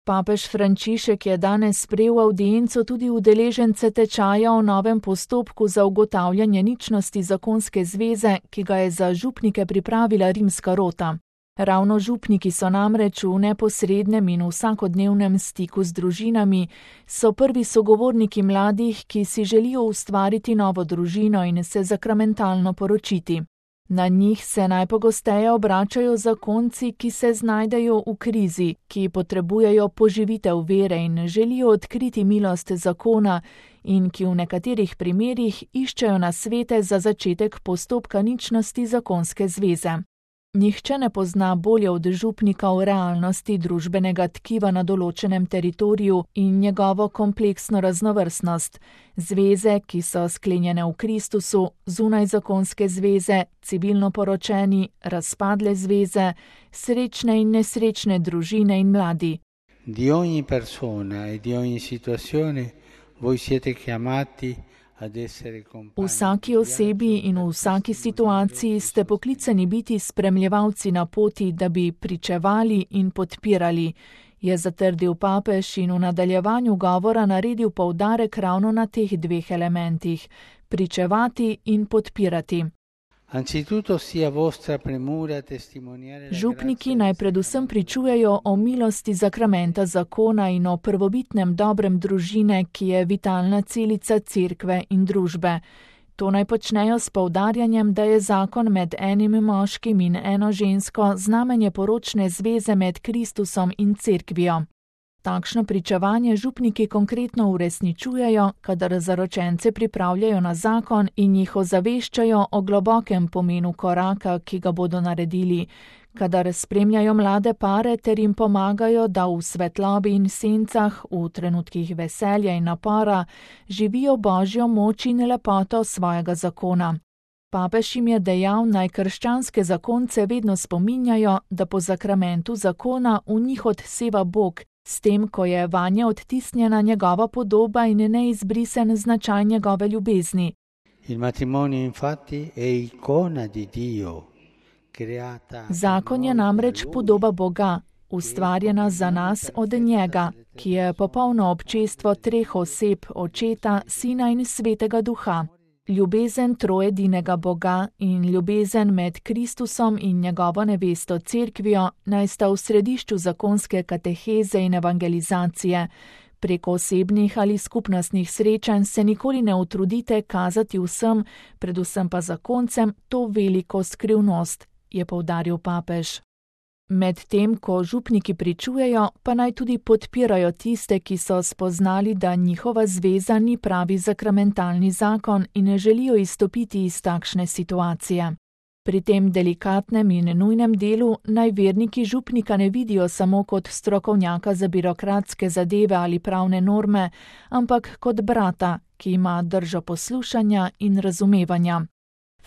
Papež Frančišek je danes sprejel avdienco tudi udeležence tečaja o novem postopku za ugotavljanje ničnosti zakonske zveze, ki ga je za župnike pripravila rimska rota. Ravno župniki so namreč v neposrednem in vsakodnevnem stiku z družinami, so prvi sogovorniki mladih, ki si želijo ustvariti novo družino in se sakramentalno poročiti. Na njih se najpogosteje obračajo zakonci, ki se znajdejo v krizi, ki potrebujejo poživitev vere in želijo odkriti milost zakona in ki v nekaterih primerih iščejo nasvete za začetek postopka ničnosti zakonske zveze. Nihče ne pozna bolje od župnika v realnosti družbenega tkiva na določenem teritoriju in njegovo kompleksno raznovrstnost. Zveze, ki so sklenjene v Kristusu, zunaj zakonske zveze, civilno poročeni, razpadle zveze, srečne in nesrečne družine in mladi. Di ogni persona e di ogni situazione voi siete chiamati. V vsaki osebi in v vsaki situaciji ste poklicani biti spremljevalci na poti, da bi pričevali in podpirali, je zatrdil papež in v nadaljevanju govora naredil poudarek ravno na teh dveh elementih: pričevati in podpirati. Župniki naj predvsem pričujejo o milosti zakramenta zakona in o prvobitnem dobrem družine, ki je vitalna celica cerkve in družbe. To naj počnejo s poudarjanjem, da je zakon med enim moškim in eno žensko znamenje poročne zveze med Kristusom in cerkvijo. Takšno pričevanje župniki konkretno uresničujejo, kadar zaročence pripravljajo na zakon in jih ozaveščajo o globokem pomenu koraka, ki ga bodo naredili, kadar spremljajo mlade pare ter jim pomagajo, da v svetlobi in sencah, v trenutkih veselja in napora, živijo božjo moč in lepoto svojega zakona. Papež jim je dejal, naj krščanske zakonce vedno spominjajo, da po zakramentu zakona v njih odseva Bog, s tem, ko je vanje odtisnjena njegova podoba in neizbrisen značaj njegove ljubezni. Zakon je namreč podoba Boga, ustvarjena za nas od njega, ki je popolno občestvo treh oseb, Očeta, Sina in Svetega Duha. Ljubezen troedinega Boga in ljubezen med Kristusom in njegovo nevesto cerkvijo naj sta v središču zakonske kateheze in evangelizacije. Preko osebnih ali skupnostnih srečanj se nikoli ne utrudite kazati vsem, predvsem pa zakoncem, to veliko skrivnost, je poudaril papež. Medtem, ko župniki pričujejo, pa naj tudi podpirajo tiste, ki so spoznali, da njihova zveza ni pravi sakramentalni zakon in ne želijo izstopiti iz takšne situacije. Pri tem delikatnem in nujnem delu naj verniki župnika ne vidijo samo kot strokovnjaka za birokratske zadeve ali pravne norme, ampak kot brata, ki ima držo poslušanja in razumevanja.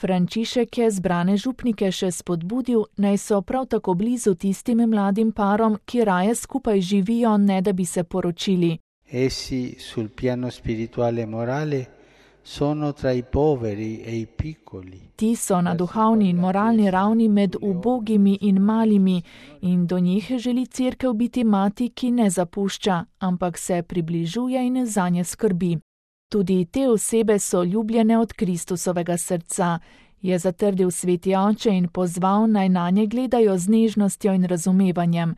Frančišek je zbrane župnike še spodbudil, naj so prav tako blizu tistim mladim parom, ki raje skupaj živijo, ne da bi se poročili. Essi sul piano spirituale e morale sono tra i poveri e i piccoli. Ti so na duhovni in moralni ravni med ubogimi in malimi in do njih želi cerkev biti mati, ki ne zapušča, ampak se približuje in zanje skrbi. Tudi te osebe so ljubljene od Kristusovega srca, je zatrdil sveti oče in pozval, naj nanje gledajo z nežnostjo in razumevanjem.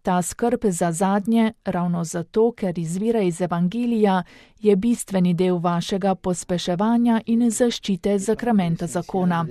Ta skrb za zadnje, ravno zato, ker izvira iz evangelija, je bistveni del vašega pospeševanja in zaščite zakramenta zakona.